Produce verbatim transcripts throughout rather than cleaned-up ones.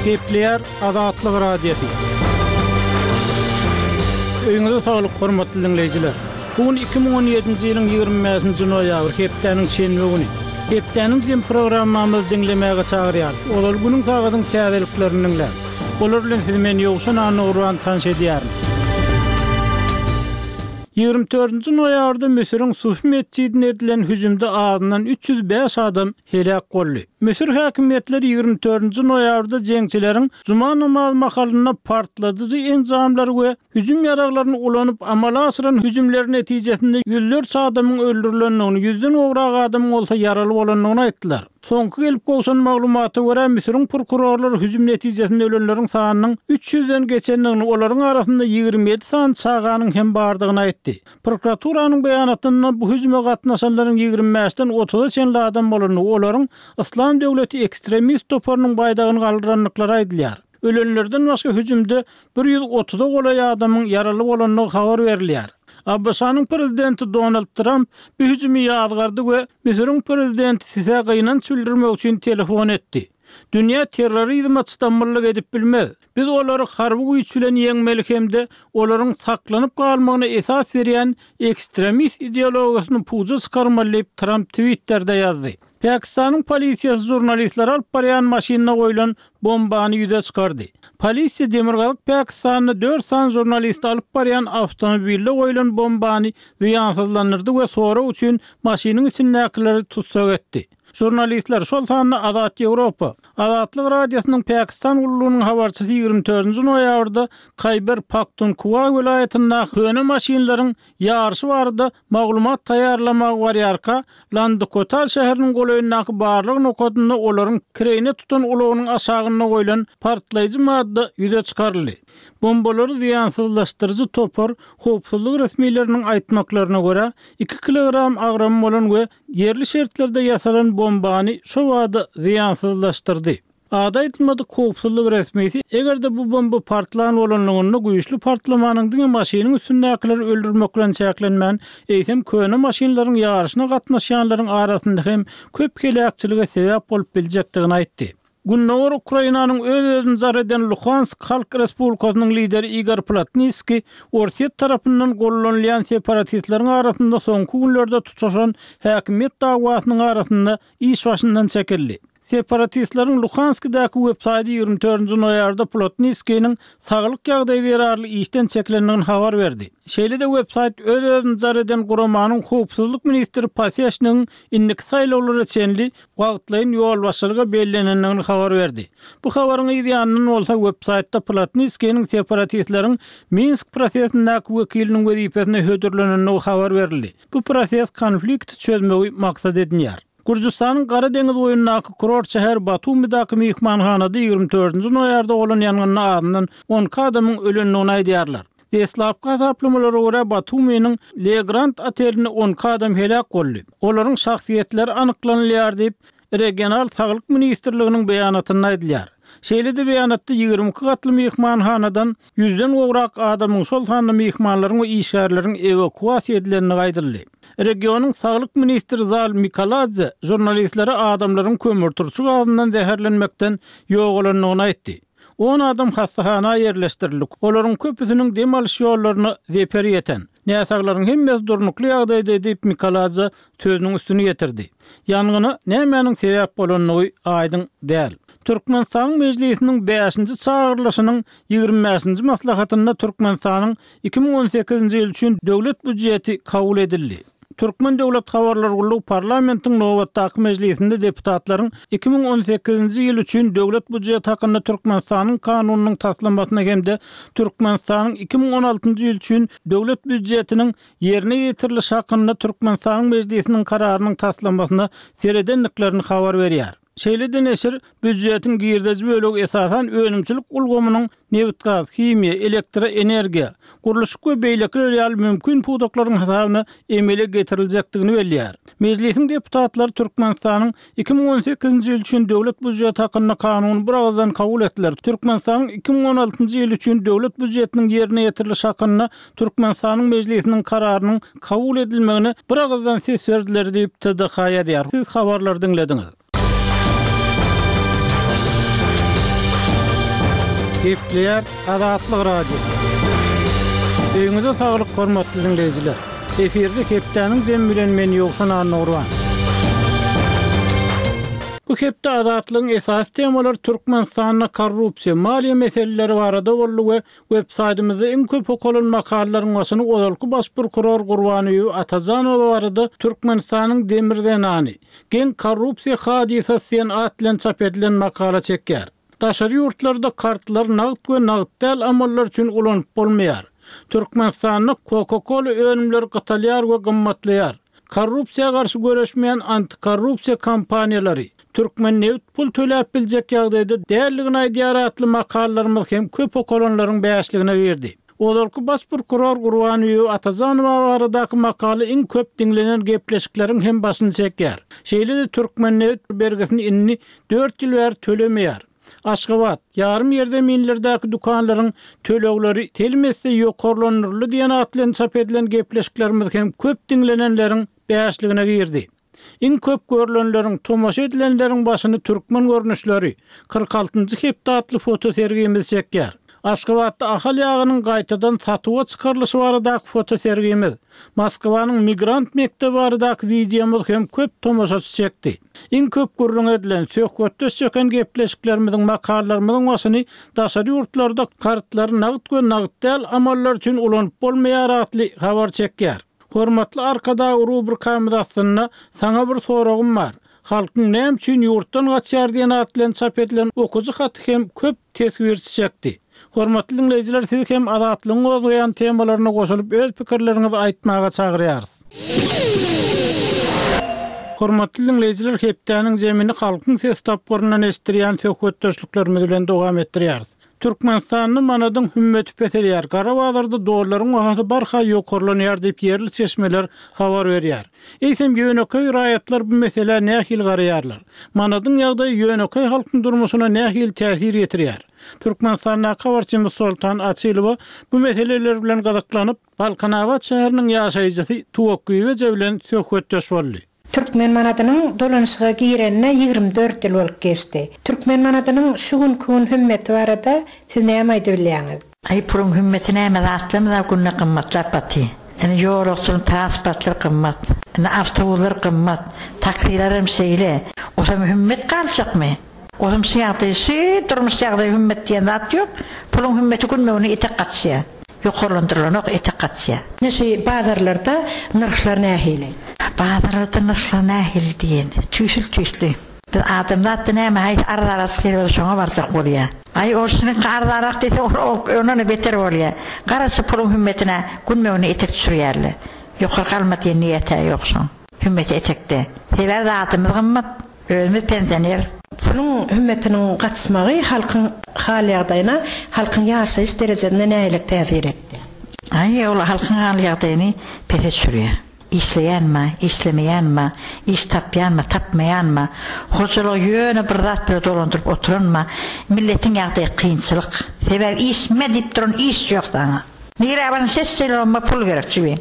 Gepleýär Azatlyk Radiosy. Öýüňize saglyk, hormatly diňleýjiler. Bu gün iki müň on ýedinji ýylyň ýigrimi bäşinji noýabry, hepdäniň şenbe güni. Hepdäniň jem programmamyzy diňlemäge çagyrýarys. Ozal günüň sagadyň täzeliklerini diňläň. Olar bilen sizi men Ýowşan Annagurban tanyş edýärin. Ýigrimi dördünji noýabrda Müsüriň Sufi metjidine edilen hüjümde azyndan üç ýüz bäş adam heläk boldy. Müsür häkimiýetleri ýigrimi dördünji noýabrda jeňçileriň juma namazy mahalynda partladyjy enjamlary we hüjüm ýaraglaryny ulanyp amala aşyran hüjümleri netijesinde ýüzlerçe adamyň öldürilendigini, ýüzden gowrak adamyň bolsa ýaraly bolandygyny aýtdylar. Soňky gelip gowşan maglumata görä, Müsüriň prokurorlary hüjüm netijesinde ölenleriň sanynyň üç ýüzden geçendigini, olaryň arasynda ýigrimi ýedi sany çaganyň hem bardygyny aýtdy. Prokuraturanyň beýanatynda bu hüjüme gatnaşanlaryň ýigrimi bäşden otuza çenli adam bolandygy, olaryň Yslam döwleti ekstremist toparynyň baýdagyny galdyrandyklary aýdylýar. Ölenlerden başga hüjümde bir ýüz otuza golaý adamyň ýaraly bolandygy habar berilýär. A B Ş-nyň prezidenti Donald Tramp bu hüjümi ýazgardy we Müsüriň prezidenti Sisä gynanç bildirmek üçin telefon etdi. Dünýä terrorizme çydamlylyk edip bilmez. Biz olary harby güýç bilen ýeňmeli hem-de olaryň saklanyp galmagyna esas berýän ekstremist ideologiýasyny puja çykarmaly diýip Tramp Twitter'de ýazdy. Pakistanyň polisiýasy žurnalistleri alyp barýan maşynyna goýlan bombany ýüze çykardy. Polisiýa Demirgazyk Pakistanda dört sany žurnalist alyp barýan awtomobilde goýlan bombany zyýansyzlandyrdy we sorag üçin maşynyň içindäkileri tutsak etdi. Žurnalistler şol sanda Azat Ýewropa, Azatlyk Radiosynyň Pakistan gullugynyň habarçysy ýigrimi dördünji noýabrda Khyber Pakhtunkhwa welaýatyndaky köne maşynlaryň ýaryşy barada maglumat taýýarlamaga barýarka, Landikotal şäheriniň golaýyndaky barlyk nokadynda olaryň kireýine tutan ulagynyň aşagynda goýlan partlaýjy madda ýüze çykaryldy. Bombalary zyýansyzlaşdyryjy topar howpsuzlyk resmileriniň aýtmaklaryna görä iki kilogram agramy bolan we ýerli şertlerde ýasalan bombany şo wada zyýansyzlaşdyrdy. Ada aýtmadyk howpsuzlyk resmisi, eger-de bu bomba partlan bolanlygynda güýçli partlamanyň diňe maşynyň üstündäkileri öldürmek bilen çäklenmän, eýsem köne maşynlaryň ýaryşyna gatnaşýanlaryň arasynda hem köp heläkçilige sebäp bolup biljekdigini aýtdy. Gündogar Ukrainanyň öz-özüni zar eden Luhansk Halk Respublikasynyň lideri Igor Plotnitskiý Orsýet tarapyndan gollanylýan separatistleriň arasynda soňky günlerde tutaşan häkimiýet dawasynyň arasynda iş başyndan çekildi. Separatistleriň Luhanskidäki websaýty ýigrimi dördünji noýabrda Plotnitskiniň saglyk ýagdaýy zerarly işden çekilendigini habar berdi. Şeýle-de websaýt öz-özüni zar eden guramanyň howpsuzlyk ministri Paseşnigiň indiki saýlawlara çenli wagtlaýyn ýolbaşçylyga bellenendigini habar berdi. Bu habaryň yz ýanyndan bolsa websaýtda Plotnitskiniň separatistleriň Minsk prosesindäki wekiliniň wezipesine hödürlenendigi habar berildi. Bu proses konflikti çözmegi maksat edinýär. Gürjüstanyň Gara deňiz boýundaky kurort şäher Batumidaky myhmanhanada ýigrimi dördünji noýabrda bolan ýangynda azyndan on iki adamyň ölendigini aýdýarlar. Deslapky hasaplamalara görä Batuminiň Le Grand otelinde on iki adam heläk boldy. Olaryň şahsyýetleri anyklanylýar diýip, Regional Saglyk Ministrliginiň beýanatynda aýdylýar. Şeýle-de beýanatda ýigrimi iki gatly myhmanhanadan ýüzden gowrak adamyň, şol sanda myhmanlaryň we işgärleriň ewakuasiýa edilendigi aýdyldy. Regionyň Saglyk ministri Zal Mikaladze žurnalistlere adamlaryň kömürturşy gazyndan zäherlenmekden ýogalandygyny aýtdy. On adam hastahana ýerleşdirildi. Olaryň köpüsiniň dem alyş ýollaryna zeper ýeten. Näsaglaryň hemmesi durnukly ýagdaýda diýip Mikaladze sözüniň üstüni getirdi. Ýangyna nämäniň sebäp bolandygy aýdyň däl. Türkmenistanyň Mejlisiniň bäşinji çagyrylyşynyň ýigrimi bäşinji maslahatynda Türkmenistanyň iki müň on sekizinji ýyl üçin döwlet býujeti kabul edildi. Türkmen Döwlet Habarlar Gullugy parlamentiň nobatdaky mejlisinde deputatlaryň iki müň on sekizinji ýyl üçin döwlet býujeti hakynda Türkmenistanyň kanunynyň taslamasyna hem-de Türkmenistanyň iki müň on altynjy ýyl üçin döwlet býujetiniň ýerine ýetirilişi hakynda Türkmenistanyň Mejlisiniň kararynyň taslamasyna seredendiklerini habar berýär. Şeýle-de neşir býujetiň girdeji bölegi esasan önümçilik ulgamynyň nebit-gaz, himiýa, elektroenergiýa, gurluşyk we beýlekiler ýaly mümkin pudaklaryň hasabyna emele getiriljekdigini belleýär. Mejlisiň deputatlary Türkmenistanyň iki müň on sekizinji ýyl üçin döwlet býujeti hakynda kanuny bir agyzdan kabul etdiler. Türkmenistanyň iki müň on altynjy ýyl üçin döwlet býujetiniň ýerine ýetirilişi hakynda Türkmenistanyň Mejlisiniň kararynyň kabul edilmegine bir agyzdan ses berdiler diýip T D H ýazýar. Siz habarlary diňlediňiz. Gepleýär Azatlyk Radiosy. Öýüňize saglyk hormatly dinleýjiler. Efirde hepdäniň jemi bilen men Ýowşan Annurwan. Bu hepde Azatlygyň esasy temalary Türkmenistanda korrupsiýa, maliýe meseleleri barada boldy we web saýtymyzda iň köp okalan makalalaryň başyny ozalky baş prokuror Gurbanguly Atajanowa barada Türkmenistanyň demir zenany, geň korrupsiýa hadysasy diýen at bilen çap edilen makala çekýär. Daşary ýurtlarda kartlar nagt we nagt däl amallar üçin ulanyp bolmaýar. Türkmenistanda Coca-Cola önümleri gytalýar we gymmatlaýar. Korrupsiýa garşy göreşmeýän antikorrupsiýa kampaniýalary Türkmen nebit pul töläp biljek ýagdaýda dälligini aýdýar atly makalalarymyz hem köp okalanlaryň bäşligine girdi. Ozalky baş prokuror Gurbanguly Atajanowa baradaky makala iň köp diňlenen gepleşikleriň hem başyny çekýär. Şeýle-de Türkmen nebit bergisini indi dört ýyl bäri tölemeýär. Aşgabat, ýarym ýerzeminlerdäki dükanlaryň tölegleri telim esse ýokarlandyryldy diýen at bilen çap edilen gepleşiklerimiz hem köp diňlenenleriň bäşligine girdi. Iň köp görülenleriň, tomaşa edilenleriň başyny türkmen görnüşleri kyrk altynjy hepde atly fotosergimiz çekýär. Aşgabatda Ahal ýagynyň gaýtadan satuwa çykarylyşy baradaky fotosergimiz, Moskwanyň migrant mekdebi baradaky wideomyz hem köp tomaşaçy çekdi. Iň köp gürrüň edilen, söhbetdeş çeken gepleşiklerimiziň, makalalarymyzyň başyny daşary ýurtlarda kartlary nagt we nagt däl amallar üçin ulanyp bolmaýar atly habar çekýär. Hormatly Arkadag rubrikamyz aslynda saňa bir soragym bar. Halkyň näme üçin ýurtdan gaçýar diýen at bilen çap edilen okujy haty hem köp teswir çekdi. Hormatly dinleýjiler, siz hem Azatlygyň gozgaýan temalaryna goşulyp öz pikirleriňizi aýtmaga çagyrýarys. Hormatly dinleýjiler, hepdäniň zemini halkyň ses tapgyryndan eşitdirýän söhbetdeşliklerimiz bilen dowam etdirýäris. Türkmenistanda manadyň hümmeti peselýär. Gara bazarda dollaryň bahasy barha ýokarlanýar diýip ýerli çeşmeler habar berýär. Eýsem ýönekeý raýatlar bu meselä nähili garaýarlar? Manadyň ýagdaýy ýönekeý halkyň durmuşyna nähili täsir ýetirýär? Türkmenistandaky habarçymyz Soltan Açylowa bu meseleler bilen gyzyklanyp, Balkanabat şäheriniň ýaşaýjysy Tuwak Güýweje bilen söhbetdeş boldy. Türkmen manadynyň dolanyşyga girenine ýigrimi dört ýyl bolup geçdi. Türkmen manadynyň şu günkü gün hümmeti barada siz näme aýdyp bilýäňiz? Aý puluň hümmeti näme zatlarymyz günde gymmatlap baty. Ýani ýolagçynyň transportlar gymmat, ýani awtobuslar gymmat, taksiler hem şeýle. Osam hümmet galjakmy? Osam şu ýagdaý, şu durmuş ýagdaýy hümmet diýen zat ýok. Puluň hümmeti günmegine etek gaçýar. Ýokarlandyrylanok etek gaçýar. Ine şu bazarlarda nyrhlar nähili? Bazarlarda nyrhlar nähili diýen? Tüýsül tüýsli. Biz adamzat näme haýsy arzara çykyp şoňa barjak bolýar. Aý orşunyň arzarak diýse ol ondan beter bolýar. Garaşy puluň hümmetine günmegine etek düşürýärler. Ýokary galma diýen niýeti ýok şoň. Hümmeti etekde. Sebäbi zatymyz gymmat, özümiz pensioner. Puluň hümmetiniň gaçmagy halkyň hal ýagdaýyna, halkyň ýaşaýyş derejesine nähili täsir etdi? Aý ol halkyň hal ýagdaýyny pese düşürýär. Işleýänmi, işlemeýänmi, iş tapýanmy, tapmaýanmy, hojalygy ýöne bir zat bilen dolandyryp oturanmy, milletiň ýagdaýy kynçylyk. Sebäbi işme diýip duran iş ýok saňa. Nirä barsaň ses çeýle pul gerek jübi.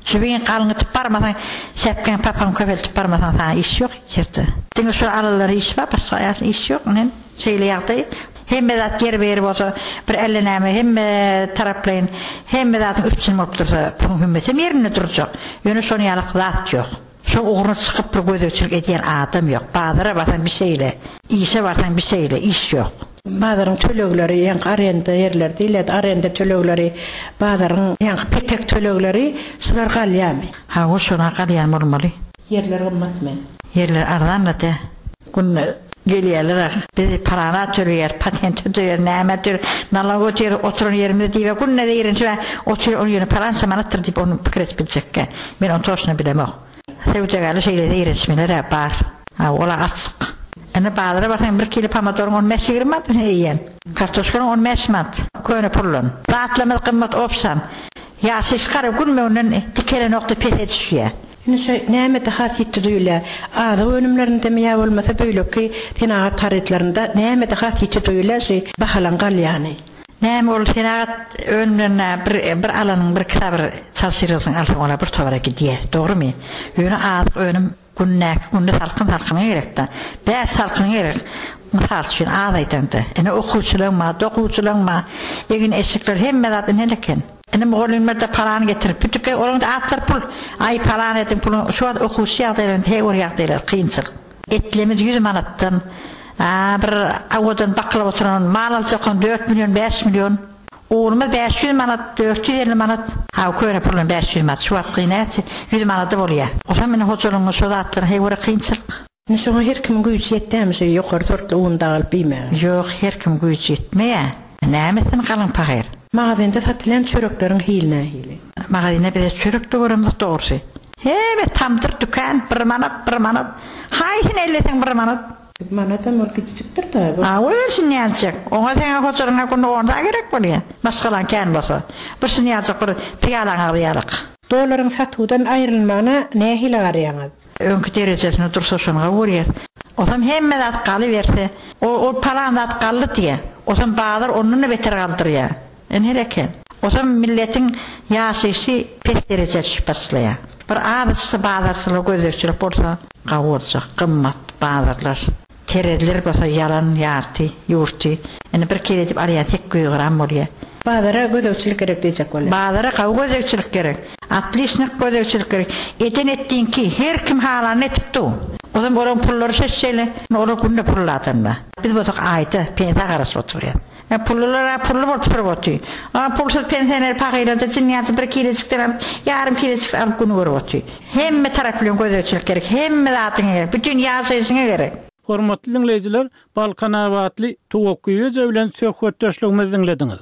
Jübiň galyňytyp barmasaň, şäpkäň papaň köpeltip barmasaň saňa iş ýok içerde. Diňe şu alalary iş bar, başga iş ýok. Nen şeýle ýagdaý. Hemme zat ýer beri bolsa bir elle näme, hemme taraplaýyn, hemme zatyň üpjün bolup dursa, puluň hümmeti ýerinde durjak. Ýöne şonuň ýaly zat ýok. Şo ugruna çykyp bir gözegçilik edýän adam ýok. Bazara barsaň bir şeýle, işe barsaň bir şeýle, iş ýok. Bazaryň tölegleri, ýaňky arenda ýerler diýilýär, arenda tölegleri, bazaryň ýaňky petek tölegleri şular galýarmy? Ha, o şona galýan bolmaly. Ýerler gymmatmy? Ýerler arzanlady. Gün gelýärler ah. Bizi parana töleýär, patent töleýär, näme töleýär, nalog ötýär, oturan ýerimiz diýip, günde ýerinçe otur ol ýerine parança manatdyr diýip ony pikir edip biljekkä. Men ony toşuna bilemok. Söwdagärler şeýle zeýrençmeler bar. Ha, ola açyk. Ene bazara barsaň bir kilo pomodoryň on bäş ýigrimi manat eýýäm. Kartoşkanyň on bäş manat. Köne pullan. Zatlarymyz gymmat opsam. Ýaşaýyş gara günmegden dikelen okda pese düşýär. Ine şu nämede has ýetdi duýulýar? Azyk önümlerinde mi ýa bolmasa beýleki senagat harytlarynda nämede has ýetdi duýulýar şu bahalan galýany? Näme ol senagat önümlerine bir, bir alanyň bir kitaby çalşyrylsyn alsaň ola bir towara gidýär. Dogrymy? Ýöne azyk önüm Gündäki günde salkyn salkyna gerek-de. Bäş salkyn gerek. Mysal üçin az aýdanda. Ine okuwçylaryň bar, dokuwçylaryň bar. Egin eşikler hemme zat ine eken. Ine mugallymlar da parany getirip bütüke, olaryň da atlar pul. Aý paran edin puluň şu wagt okuwçy ýagdaýlarynda her bir ýagdaýlar kynçylyk. Etlemiz ýüz manatdan, a, bir awadan bakylyp oturan mal aljakon dört million, bäş million. Unumyz bäş ýüz manat, dört ýüz elli manat. Ha, köne pulun bäş ýüz manat, şu wagt näçe? ýüz manady bolýar. O zaman meni hojalygyň şu zatlar her bir kynçylyk. Ine şoňa her kimiň güýji ýetýärmi şu ýokary sortly un da alyp iýmäge? Ýok, her kim güýji ýetmeýär. Nämesin galyň pahyr? Magazinde satylan çörekleriň hili nähili? Magazinde bize çörek de göremizok dogrusy. Hebe tamdyr dükan bir manat, bir manat. Haýsyny elleseň bir manat. Manatam ol kiçijikdir da. A, o şun ýaljak. Oňa seňe hojalygyňa günde onda gerek bolýar. Maşgalaň kän bolsa. Bir şun ýaljak bir piýalaň agzy ýalyk. Dolaryň satuwdan aýrylmagyna nähili garaýaňyz? Öňki derejesini dursa şoňa görýär. Osam hemme zat galyberse, o, o palan zat galdy diýe. Osam bazar ondan da beter galdyrýar. En eken. Osam milletin ýaşaýşy pes derejä düşüp başlaýar. Bir azajyk bazarçylyk gözegçilik bolsa, gawy gymmat bazarlar. Terezler bolsa ýalan ýarty, ýurty. Indi bir kilo edip alýan sekiz ýüz gram bolýar. Bazara gözegçilik gerek diýjek bolýar. Bazara gawy gözegçilik gerek. Atlişnik gözegçilik gerek. Eden etdiňki her kim halany etip du. Ozam olaň pullary şeşşeýle, olar günde pulladanda. Biz bolsak aýda pensiýa garaşyp oturýar. Ya pullular pullu bolup turup otyr. A pulsuz pensioner pahylarda jynýasy bir kilojikden alyp, ýarym kilojik alyp günü görüp otyr. Hemme taraply gözegçilik gerek, hemme zatyň gerek, bütün ýaşaýşyňa gerek. Hormatly dinleýjiler, Balkanabatly Tuwakgyýeje bilen söhbetdeşligimizi diňlediňiz.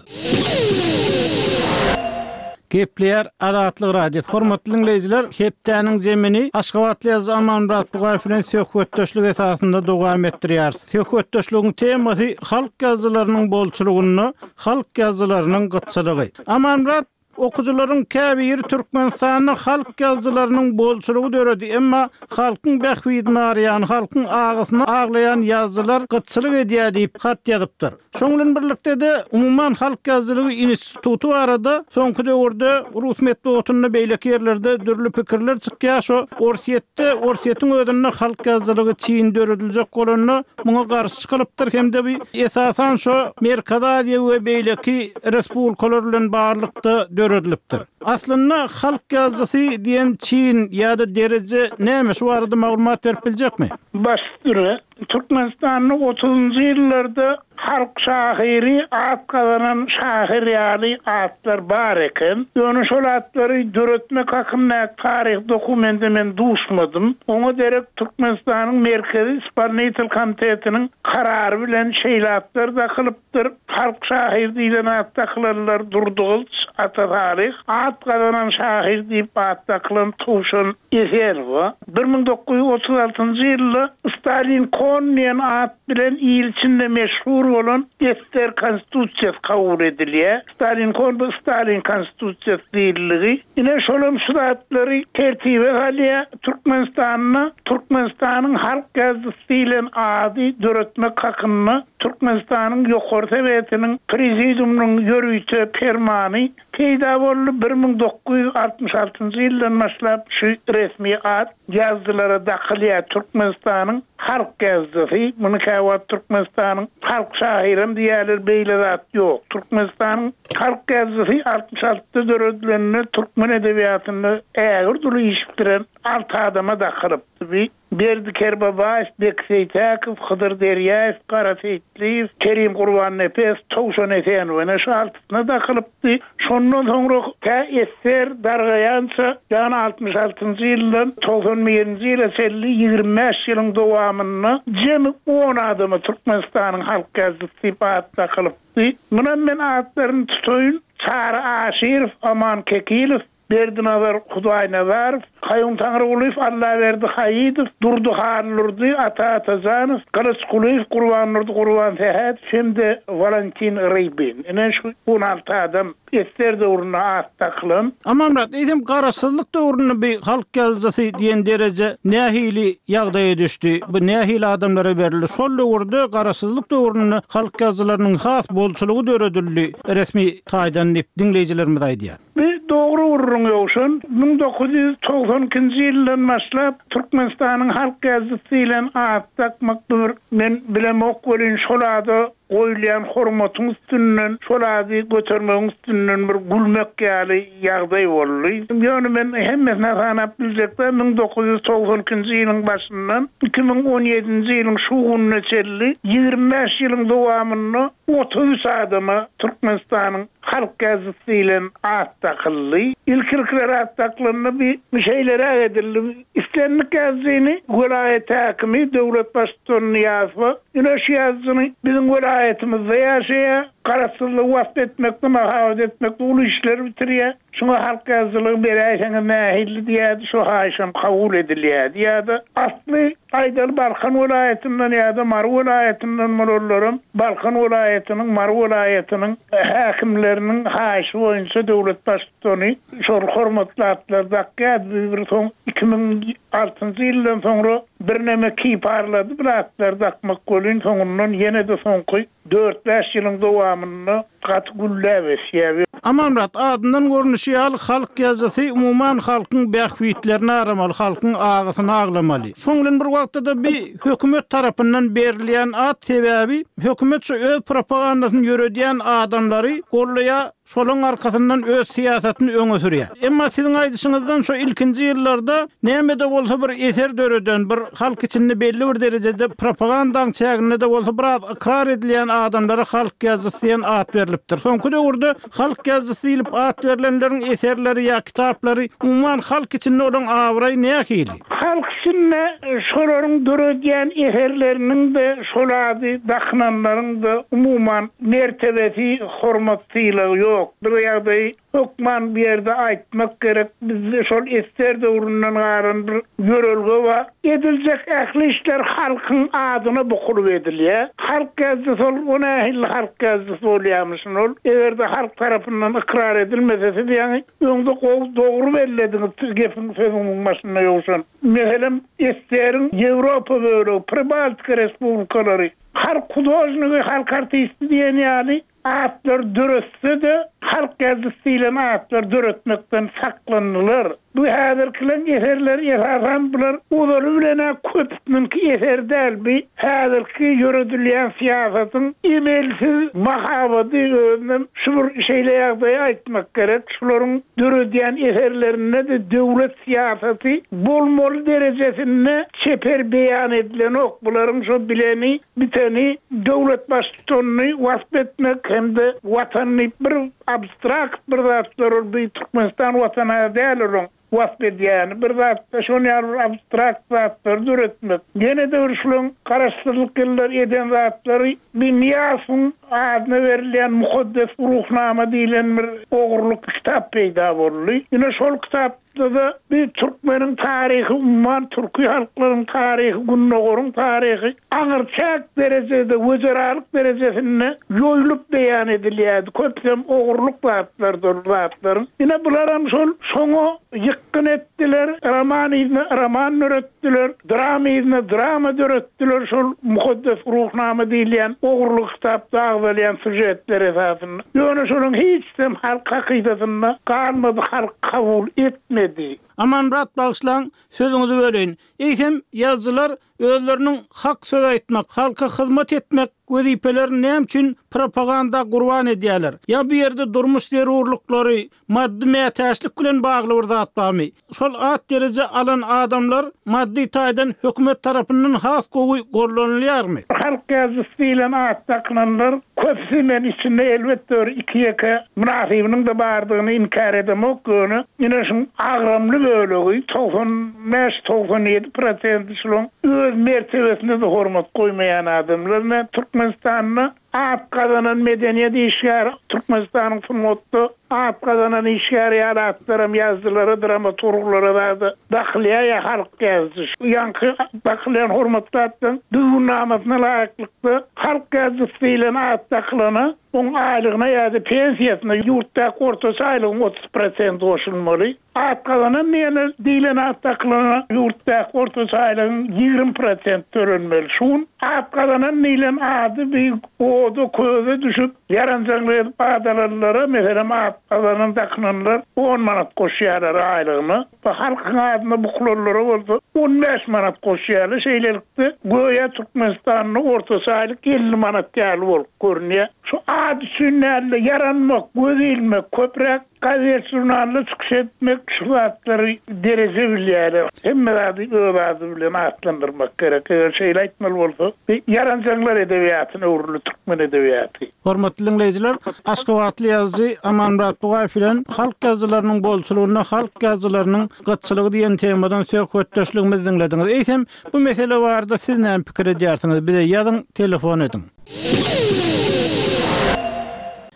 Gepleýär Azatlyk Radiosy. Hormatly dinleýjiler, hepdäniň zemini Aşgabatly ýazyjy Amanmyrat Bugaýew bilen söhbetdeşlik esasynda dowam etdirýär. Söhbetdeşligiň temasy halk ýazyjylarynyň bolçulygynda halk ýazyjylarynyň gytçylygy. Amanmyrat, okuwçylaryň käbiri Türkmenistanda halk ýazyjylarynyň bolçulygy döredi, emma halkyň bähbidini araýan, halkyň agysyny aglaýan ýazyjylar gytçylyk edýär diýip hat ýazypdyr. Şonuň bilen birlikde de umuman halk ýazyjylygy instituty barada soňky döwürde rus metbugatynda beýleki ýerlerde dürli pikirler çykýar. Şo Orsýetde, Orsýetiň özünde halk ýazyjylygy çyn dörediljek bolanda muňa garşy çykylypdyr hem-de bir esasan şo Merkezi Aziýa we beýleki respublikalar bilen barlykda döredilipdir. Aslynda halk ýazyjysy diýen çyn ýa-da dereje näme, şu barada maglumat berip biljekmi? Baş üstüne Türkmenistan'da otuzunjy ýyllarda halk şahyry at gazanan şahyr ýaly atlar bar eken. Ýöne şol atlary döretmek hakynda taryh dokumente men duşmadym. Oňa derek Türkmenistanyň Merkezi Ispolinitel Komitetiniň karary bilen şeýle atlar dakylypdyr. Halk şahyr diýlen at dakylanlar Durdygylyç Ata Salyh, at gazanan şahyr diýip at dakylan Towşan Esenowa. Bir müň dokuz ýüz otuz altynjy ýylda Stalin Kon diýen at bilen il içinde meşhur bolan Ester Konstitusiýasy kabul edilýär. Stalin Kon bu Stalin Konstitusiýasy diýildigi. Ine şolam şu zatlary tertibe salýar. Türkmenistanda Türkmenistanyň halk ýazyjysy diýlen ady döretmek hakynda Türkmenistanyň Ýokary Sowetiniň Prezidiumynyň ýörite permany peýda boldy. Bir müň dokuz ýüz altmyş altynjy ýyldan başlap şu resmi at ýazyjylara dakylýar. Türkmenistanyň halk ýazyjysy, muny käwagt Türkmenistanyň halk şahyrym diýerler, beýle zat ýok. Türkmenistanyň halk ýazyjysy altmyş altyda döredilende türkmen edebiýatynda ägir duly iş bitiren alty adama dakylypdy. Berdi Kerbabaýew, Bek Seýtäkow, Hydyr Derýaýew, Gara Seýitliýew, Kerim Gurbannepes, Towşan Esenow ene şu altysyna dakylypdy. Şondan soňra tä Ester dargaýança, ýagny altmyş altynjy ýyldan togsan birinji ýyla çenli ýigrimi bäş ýylyň dowamynda jemi on adama Türkmenistanyň halk ýazyjysy diýip at dakylypdy. Munam men atlaryny tutaýyn. Çary Aşyrow, Aman Kekilow, Berdinazar Hudaýnazarow, Kaýum Taňrygulyýew, Allaberdi Haýydow, Durdy Hallurdy, Ata Atajanow, Gylyç Kulyýew, Gurbandurdy Gurbansähet hem-de Valentin Rybin. Ine şu on alty adam Ester döwründe at dakylan. Amanmyrat, eýsem garaşsyzlyk döwründe bir halk ýazyjysy diýen dereje nähili ýagdaýa düşdi? Bu nähili adamlara berildi? Şol döwürde garaşsyzlyk döwründe halk ýazyjylarynyň has bolçulygy döredildi resmi taýdan diýip diňleýjilerimiz aýdýar. Bir dogry gürrüň ýowşan müň dokuz ýüz togsan ikinji ýyldan başlap Türkmenistanyň halk ýazyjysy diýlen at dakmak bir men bilemok welin şol ada goýulýan hormatyň üstünden, şol ady götermegiň üstünden bir gülmek ýaly ýagdaý boldy. Ýöne men hemmesine sanap biljekde müň dokuz ýüz togsan ikinji ýylyň başyndan iki müň on ýedinji ýylyň şu gününe çenli ýigrimi bäş ýylyň dowamynda otuz üç adama Türkmenistanyň halk ýazyjysy diýlen at dakyldy. Ilk-ilkler at dakylanda bir şeýleräk edildi. Islendik ýazyjyny welaýat häkimi döwlet baştutanyny ýazsa, ine şu ýazyjyny biziň welaýatymyzda ýaşaýar, garaşsyzlygy wasp etmekde, mahabat etmekde uly işler bitirýär. Şuňa halk ýazyjylygy beräýseňiz nähili diýýärdi, şu haýyşam kabul edilýärdi. Ýa-da asly aýdaly Balkan welaýatyndan ýa-da Mary welaýatyndan bolanlaram Balkan welaýatynyň, Mary welaýatynyň häkimleriniň haýyşy boýunça döwlet baştutany şol hormatly atlar dakýardy. Bir soň iki müň altynjy ýyldan soňra birneme kiparlady bir atlar dakmak welin soňundan ýene-de soňky dört bäş ýylyň dowamynda gaty gülläp ösýär. Amanmyrat, adyndan görnüşi ýaly halk ýazyjysy umuman halkyň bähbitlerini aramaly, halkyň agysyny aglamaly. Şoň bilen bir wagtda-da bir hökümet tarapyndan berilýän at sebäbi hökümet şu öz propagandasyny ýöredýän adamlary gollaýar, şolaň arkasyndan öz syýasatyny öňe sürýär. Emma siziň aýdyşyňyzdan şu ilkinji ýyllarda näme-de bolsa bir eser döreden, bir halk içinde belli bir derejede propagandaň çäginde-de bolsa biraz ykrar edilýän adamlara halk ýazyjysy diýen at berilipdir. Soňky döwürde halk ýazyjysy diýlip at berlenleriň eserleri ýa kitaplary umuman halk içinde olaň abraýy nähili? Halk içinde şolaryň döredýän eserleriniň de şol ady dakynanlaryň da umuman mertebesi, hormat sylagy ýok. Bir ýagdaýy hökman bir ýerde aýtmak gerek. Bizde şol eser döwründen galan bir ýörelge bar. Ediljek ähli işler halkyň adyna bukulyp edilýär. Halk ýazyjysy ol, o nähili halk ýazyjysy bolýarmyşyn ol? Eger-de halk tarapyndan ykrar edilmese, siz ýaňy öňde gowy dogry bellediňiz, gepiň sözüniň başynda ýowşan. Meselem, Eseriň Ýewropa bölegi, Pribaltika respublikalary, halk hudožnigi, halk artisti diýen ýaly atlar döretse-de, halk ýazyjysy diýlen atlar döretmekden saklandylar. Bu häzirkileň eserleri esasan bular ozaly bilen-ä köpüsiniňki eser däl, bu häzirki ýöredilýän syýasatyň emelsiz mahabady özünem şu bir şeýle ýagdaýy aýtmak gerek. Şularyň döredýän eserlerinde-de döwlet syýasaty bolmaly derejesinde çeper beýan edilenok. Bularyň şo bileni, biteni döwlet baştutanyny wasp etmek hem-de watanyny bir abstrakt bir zatlar ol bu Türkmenistan watany däl olaň wasp edýäni, bir zatda şon ýaly bir abstrakt zatlary döretmek. Ýene-de bir şularyň garaşsyzlyk ýyllary eden zatlary bir Niýazyň adyna berilýän mukaddes ruhnama diýlen bir ogurlyk kitap peýda boldy. Ýene şol kitapda-da bir türkmeniň taryhy, umuman türki halklaryň taryhy, Gündogaryň taryhy aňyrçäk derejede, wezeralyk derejesinde ýoýlup beýan edilýärdi. Köpüsem ogurlyk zatlardyr zatlaryň. Ýene bularam şol şoňa ýykgyn etdiler, roman ýerine roman döretdiler, drama ýerine drama döretdiler. Şol mukaddes ruhnama diýilýän ogurlyk kitapda agzalýan süžetler esasynda. Ýöne şonuň hiç hem halk hakydasynda galmady, halk kabul etmedi. Amanmyrat, bagyşlaň, sözüňizi böleýin. Eýsem, ýazyjylar özleriniň hak söz aýtmak, halka hyzmat etmek wezipelerini näme üçin propaganda gurban edýärler? Ýa bu ýerde durmuş zerurlyklary, maddy mätäçlik bilen bagly bir zat barmy? Şol at dereje alan adamlar maddy taýdan hökümet tarapyndan has gowy gollanylýarmy? Halk ýazyjysy diýlen at dakynanlar köpüsi men içinde elbetde bir iki ýeke mynasybynyň da bardygyny inkär edemok, ýöne ýene şuň agramly bölegi togsan bäş togsan ýedi prosenti şularyň öz mertebesine de hormat goýmaýan adamlar. Men Türkmenistanda at gazanan medeniýet işgäri, Türkmenistanyň sungatda at gazanan işgäri ýaly atlaram ýazyjylara, dramaturglara da dakylýar ýa halk ýazyjy. Ýaňky dakylýan hormatly atlaryň düzgünnamasyna laýyklykda halk ýazyjysy diýlen at dakylana Oň aýlygyna ýa-da pensiýasyna ýurtdaky ortaça aýlygyň otuz prosenti goşulmaly. At gazanan diýene diýlen at dakylana ýurtdaky ortaça aýlygyň ýigrimi prosent tölenmeli. Şu gün at gazanan diýlen ady bir oda köze düşüp, ýaranjaňlyk edip ad alanlara, meselem, at gazanan dakynanlar on manat goşýarlar aýlygyna. Bu halkyň adyna bukulanlara bolsa on bäş manat goşýarlar. Şeýlelikde, göýä Türkmenistanda ortaça aýlyk elli manat ýaly bolup görünýär. Şu ad üçin däl-de, ýaranmak, göz ilmek, köpräk gazet žurnalda çykyş etmek, şu zatlary dereje bilýärler. Hemme zady öz ady bilen atlandyrmak gerek. Eger şeýle aýtmaly bolsa, ýaranjaňlar edebiýatyna öwrüldi türkmen edebiýaty. Hormatly diňleýjiler, aşgabatly ýazyjy Amanmyrat Bugaýew bilen halk ýazyjylarynyň bolçulygynda halk ýazyjylarynyň gytçylygy diýen temadan söhbetdeşligimizi diňlediňiz. Eýsem, bu mesele barada siz näme pikir edýärsiňiz? Bize ýazyň, telefon ediň.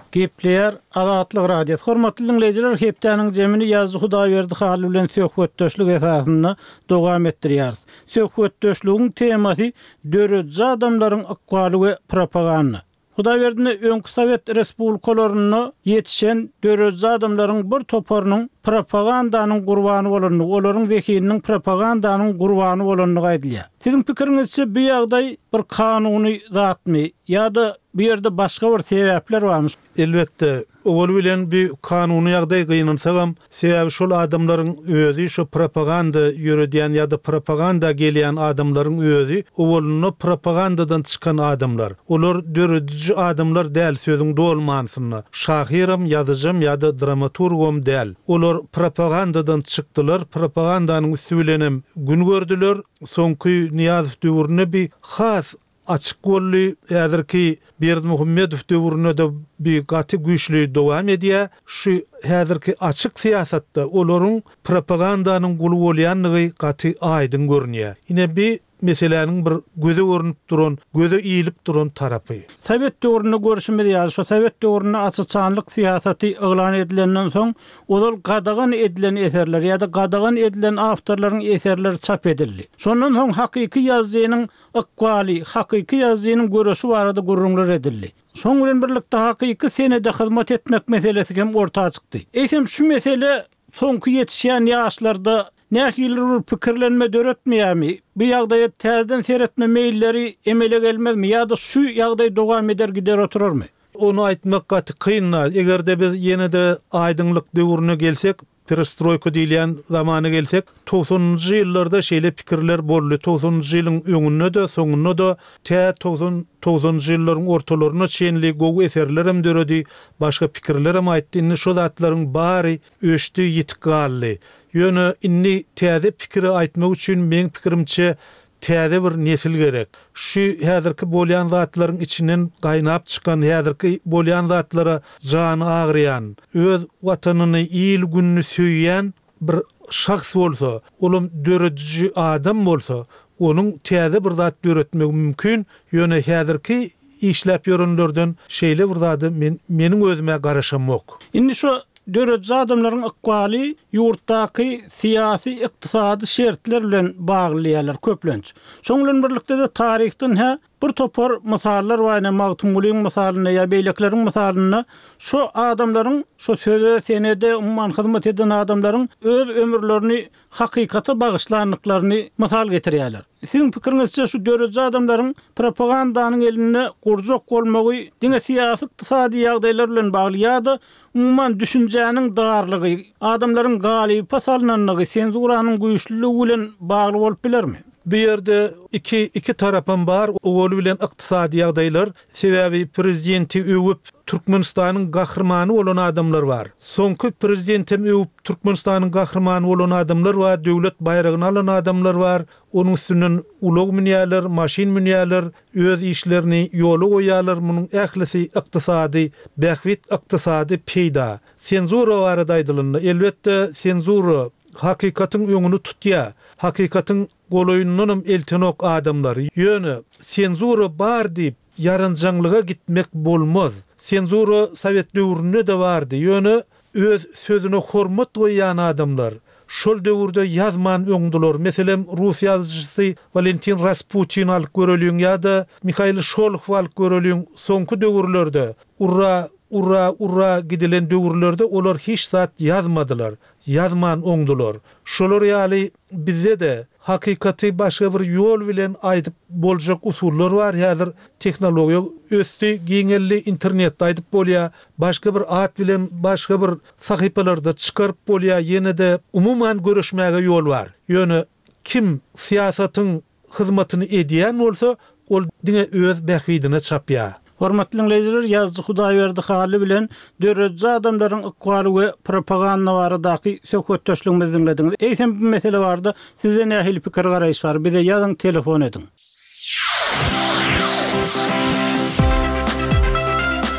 Gepleýär Azatlyk Radiosy. Hormatly diňleýjiler, hepdäniň jemini ýazyjy Hudaýberdi Hally bilen söhbetdeşlik esasynda dowam etdirýäris. Söhbetdeşligiň temasy dörediji adamlaryň ykbaly we propaganda. Hudaýberdini öňki Sowet Respublikalarynda ýetişen dörediji adamlaryň bir toparynyň propagandanyň gurbany bolandygy, olaryň zehininiň propagandanyň gurbany bolandygy aýdylýar. Siziň pikiriňizçe bu ýagdaý bir kanuny zatmy ýa-da bu ýerde başga bir sebäpler barmy? Elbetde, owal bilen bir kanuny ýagdaý gynansagam, sebäbi şol adamlaryň özi şu propaganda ýöredýän ýa-da propaganda gelýän adamlaryň özi owalynda propagandadan çykan adamlar. Olar dörediji adamlar däl sözüň doly manysynda. Şahyram, ýazyjam ýa-da dramaturgam däl. Olar propagandadan çykdylar, propagandanyň üstü bilenem gün gördüler. Soňky Nyýazow döwründe bir has açyk boldy. Häzirki Berdimuhamedow döwründe de bir gaty güýçli dowam edýär. Şu häzirki açyk syýasatda olaryň propagandanyň guly bolýandygy gaty aýdyň görünýär. Ine bir meseläniň bir göze görünüp duran, göze iýilip duran tarapy. Sowet döwründe görüşimiz ýaly, şu Sowet döwründe açyçanlyk syýasaty yglan edilenden soň, ozal gadagan edilen eserler ýa-da gadagan edilen awtorlaryň eserleri çap edildi. Şondan soň hakyky ýazyjynyň ykbaly, hakyky ýazyjynyň görüşi barada gürrüňler edildi. Şoň bilen birlikde hakyky senede hyzmat etmek meselesi hem orta çykdy. Eýsem şu mesele soňky ýetişýän ýaşlarda nähili bir pikirlenme döretmeýärmi? Bu ýagdaýa täzeden seretme meýilleri emele gelmezmi ýa-da şu ýagdaý dowam eder gider oturarmy? Onu aýtmak gaty kyn. Eger-de biz ýene-de aýdyňlyk döwrüne gelsek, perestroýka diýilýän zamana gelsek, togsanynjy ýyllarda şeýle pikirler boldy. Togsanynjy ýylyň öňünde-de, soňunda-da tä togsan, togsanynjy ýyllaryň ortalaryna çenli gowy eserler hem döredi, başga pikirler hem aýtdy. Indi şo zatlaryň bary öçdi, ýitip galdy. Ýöne indi täze pikiri aýtmak üçin meň pikirimçe täze bir nesil gerek. Şu häzirki bolýan zatlaryň içinden gaýnap çykan, häzirki bolýan zatlara jany agyrýan, öz watanyny, il gününi söýýän bir şahs bolsa, olam dörediji adam bolsa, onuň täze bir zat döretmegi mümkin. Ýöne häzirki işläp ýörenlerden şeýle bir zady men, meniň özüme garaşamok. Indi şu dörediji adamlaryň ykbaly ýurtdaky syýasy, ykdysady şertler bilen bagly köplenç. Şoň bilen birlikde de taryhdan hä bir topar mysallar bar, ýa Magtymgulyň mysalynda ýa beýlekleriň mysalynda şu adamlaryň şu söze, senede umuman hyzmat eden adamlaryň öz ömürlerini hakykata bagyşlandyklaryny mysal getirýärler. Siziň pikiriňizçe şu dörediji adamlaryň propagandanyň elinde gurjak bolmagy diňe syýasy, ykdysady ýagdaýlar bilen bagly ýa-da umuman düşünjäniň darlygy, adamlaryň galypa salynanlygy, senzuranyň güýçlüligi bilen bagly bolup bilermi? Bu ýerde iki, iki tarapam bar, owaly bilen ykdysady ýagdaýlar, sebäbi prezidenti öwüp Türkmenistanyň gahrymany bolan adamlar bar. Soňky prezidentem öwüp Türkmenistanyň gahrymany bolan adamlar bar, döwlet baýragyny alan adamlar bar. Onuň üstünden ulag münýärler, maşyn münýärler, öz işlerini ýola goýýarlar. Munuň ählisi ykdysady bähbit, ykdysady peýda. Senzura barada aýdylanda, elbetde senzura hakykatyň öňüni tutýar. Hakykatyň golaýyndanam eltenok adamlary. Ýöne senzura bar diýip ýaranjaňlyga gitmek bolmaz. Senzura Sowet döwründe de bardy. Ýöne öz sözüne hormat goýýan adamlar, Şol döwürde ýazman öňdüler. Meselem, rus ýazyjysy Walentin Rasputin alyp göreliň ýa-da Mihail Şolohow alyp göreliň. Soňky döwürlerde urra urra urra gidilen döwürlerde olar hiç zat ýazmadylar. Ýazman oňdular. Şolar ýaly bizde-de hakykaty başga bir ýol bilen aýdyp boljak usullar bar. Häzir tehnologiýa ösdi, giňeldi, internetde aýdyp bolýar. Başga bir at bilen başga bir sahypalarda çykaryp bolýar. Ýene-de umuman görüşmäge ýol bar. Ýöne kim syýasatyň hyzmatyny edýän bolsa, ol diňe öz bähbidine çapýar. Hormatly dinleýjiler, ýazyjy Hudaýberdi Hally bilen döredici adamlaryň ykbaly we propaganda baradaky söhbetdeşligimizi diňlediňiz. Eýsem bu mesele barada sizde nähili pikir garaýyş bar? Bize ýazyň, telefon ediň.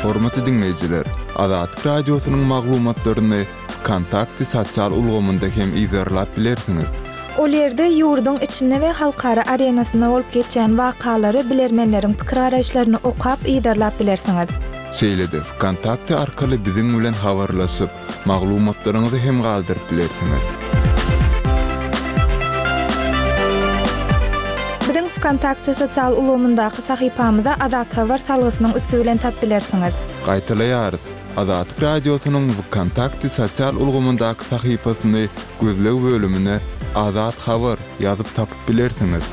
Hormatly dinleýjiler, Azatlyk radiosynyň maglumatlaryny Kontakty sosial ulgamynda hem izerlap bilersiňiz. Ol ýerde ýurduň içinde we halkara arenasynda bolup geçýän wakalary bilermenleriň pikir garaýyşlaryny okap izerlap bilersiňiz. Şeýle-de Kontakty arkaly biziň bilen habarlaşyp, maglumatlaryňyzy hem galdyryp bilersiňiz. Biziň Kontakty sosial ulgamyndaky sahypamyza Azat Habar salgysynyň üsti bilen tap bilersiňiz. Gaýtalaýarys. Azatlyk radiosynyň Kontakty sosial ulgamyndaky sahypasyny gözleg bölümine Azat Habar ýazyp tapyp bilersiňiz.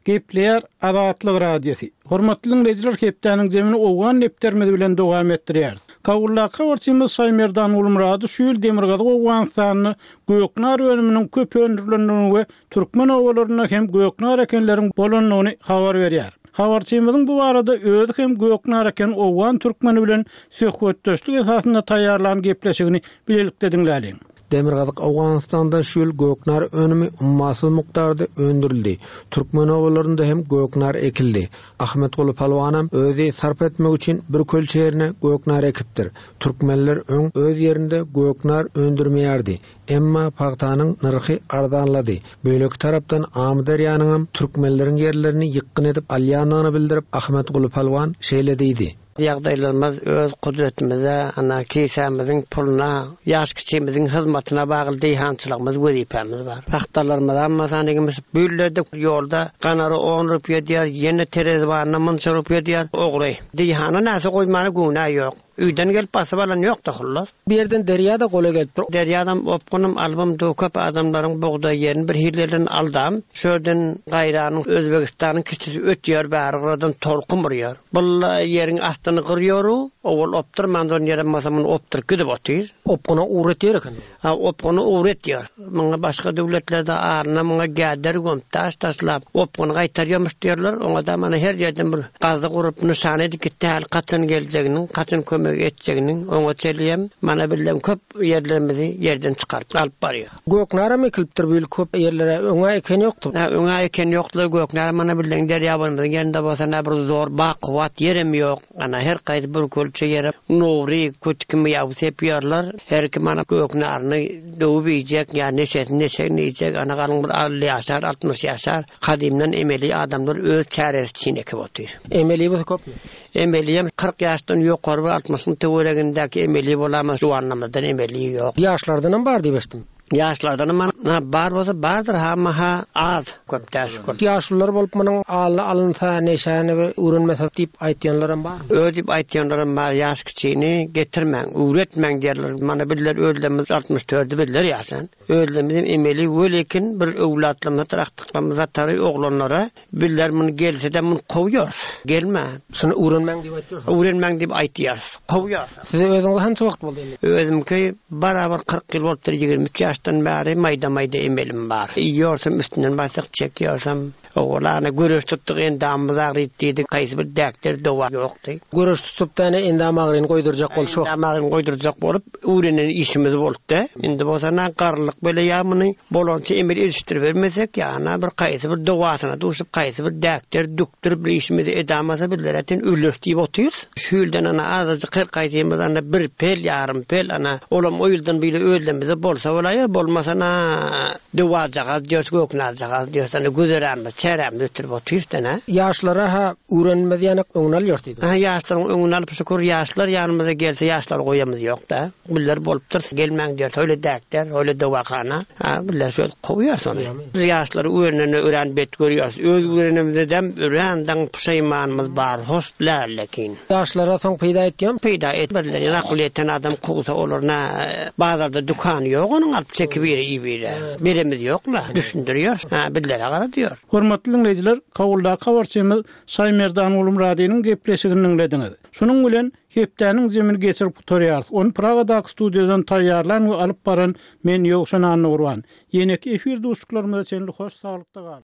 Gepleýär Azatlyk Radiosy. Hormatly dinleýjiler, hepdäniň zemini Owgan nepterimiz bilen dowam etdirýär. Kabuldaky habarçymyz Şaýmerdan Gulmurady şu ýyl Demirgazyk Owganystanda göknar önüminiň köp öndürilendigini we türkmen obalarynda hem göknar ekenleriň bolandygyny habar berýär. Habarçymyzyň bu barada özi hem göknar eken Owgan türkmeni bilen söhbetdeşlik esasynda taýýarlan gepleşigini bilelikde diňläliň. Demirgazyk Owganystanda şu ýyl göknar önümi ummasyz mukdarda öndürildi. Türkmen obalarynda hem göknar ekildi. Ahmetguly Palwanam özi sarp etmek üçin bir kölçe ýerine göknar ekipdir. Türkmenler öň öz ýerinde göknar öndürmeýärdi. Emma pagtanyň nyrhy arzanlady. Beýleki tarapdan Amyderýanyň türkmenleriň ýerlerini ýykgyn edip alýandygyny bildirip Ahmetguly Palwan şeýle diýdi. Ýagdaýlarymyz öz kudretimize, ana kisämiziň puluna, ýaş kiçimiziň hyzmatyna bagly diýhançylygymyz wezipämiz bar. Pagtalarymyz amma sanygymyz bu ýyllerde ýolda ganary on rupiýa diýer, ýene terezibanyna munça rupiýa diýer, ogry. Diýhana näse goýmana günä ýok. Üýden gelip basyp alan ýok da hullar. Bir ýerden derýa-da gola gelip dur. Derýadan opgunym albym du köp adamlaryň bugdaý ýerini bir hillerden aldam. Şörden gaýranyň Özbegistanyň kiçisi ötýär, bäri gyradan tolkun urýar. Bulla ýeriň astyny gyrýoru, owal opdurman don ýere masamyny opduryp gidip otyr. Opguna uğretýär eken. Ha, opguna uğretýär. Muňa başga döwletlerde aryna muňa gäder gömüp, taş taşlap, opguny gaýtarýarmyş diýerler. Oňa da mana her ýerden bir gazy gurup nyşan edip gitdi, hal kaçan geljeginiň, kaçan kömek etjeginiň, oňa çelýem, mana bilem köp ýerlerimizi ýerden çykaryp alyp barýar. Göknara mekilipdir bu ýyl köp ýerlere öňe eken ýokdy. Ha, öňe eken ýokdy, göknara mana bilen derýa bolmadyň ýerinde bolsa näme bir zor bakuwat ýerem ýok. Ana her gaýdy bir kölçe ýere nowri kötükimi ýaw sepýärler. Her kim ana göknaryny döwüp iýjek, ýa neşesini neşegini iýjek, ana galyň bir elli ýaşar, altmyş ýaşar. Kadymdan emeli adamlar öz çäresi üçin ekip otyr. Emeli bolsa köpmi? Emeliyem kyrk ýaşdan ýokary bir altmyşyň töweregindäki emeli bolamaz, juwanlarymyzdan emeli ýok. Ýaşlardan hem bar diýip eşitdim. Ýaşlardan hem ha, bar bolsa bardyr, ha, ha, az, köp däş, köp. Ýaşlylar bolup munuň ally alynsa, neşäni we öwrenmese diýip aýtýanlar hem bar. Ö diýip aýtýanlar hem bar, ýaş kiçini getirmäň, öwretmäň diýerler. Mana bizler özlerimiz altmyş dördü bizler ýaşan. Özlerimiz emeli welekin bir öwlatlarymyz, akdyklarymyz atary oglanlara bizler muny gelse de muny kowýarys. Gelme. Şuny öwrenmäň diýip aýtýarys. Öwrenmäň diýip aýtýarys. Kowýarys. Size özüňiz hança wagt boldy emeli? Özümki barabar kyrk ýyl bolupdyr, ýigrimi üç ýaşdan bäri maýda-maýda emelim bar. Iýorsam üstünden bassak çekiyorsam, oglana göreş tutduk, endamymyz agryp diýdik, haýsy bir däkler dowa ýokdy. Göreş tutup däne endam agryny goýdurjak bolup şu. Endam agryny goýdurjak bolup öwrenen işimiz bolupdy. Indi bolsa na garlyk bele ýa muny bolança emel erişdirip bermesek, ýa bir haýsy bir dowasyna duşup, haýsy bir däkler dükdürip bir işimizi edamasa bizler äten ölür diýip otyrys. Şu ýyldan ana azajyk her gaýdymyz ana bir pel, ýarym pel ana olam o ýyldan bile özlerimize bolsa bolaýar. Bolmasa na döwajagaz diýers, göknarjagaz diýers, ana güzeranymyz, çärämiz ötürip otyrys da, Ýaşlara ha öwrenmez ýanak öňüni alýar diýdi. Ha ýaşlaryň öňüni alyp şükür ýaşlar ýanymyza gelse ýaşlar goýamyz ýok da. Biller bolupdyr, gelmäň diýer, öyle däkler, öyle döwakana. Ha biller şöyle kowýar sony. Biz ýaşlary öwrenene öwren bet görýäs. Öz öwrenimizden öwrenden puşaymanymyz bar, hoş lälekin. Ýaşlara soň peýda etýän? Peýda etmediler. Ýa akyl ýeten adam kowsa olar na bazarda dükany ýok onuň alyp çekip biri ibire. Beremiz ýok la, düşündiriyor. Ha billere gara diýyor. Hormatly dinleýjiler, Kabuldaky habarçymyz Şaýmerdan Gulmuradynyň gepleşigini diňlediňiz. Şunuň bilen hepdäniň zemini geçirip gutarýarys. Ony Pragadaky studiýadan taýýarlan we alyp baran men Ýowşan Annagurban. Ýeneki efir duşluklarymyza çenli hoş saglykda galyň.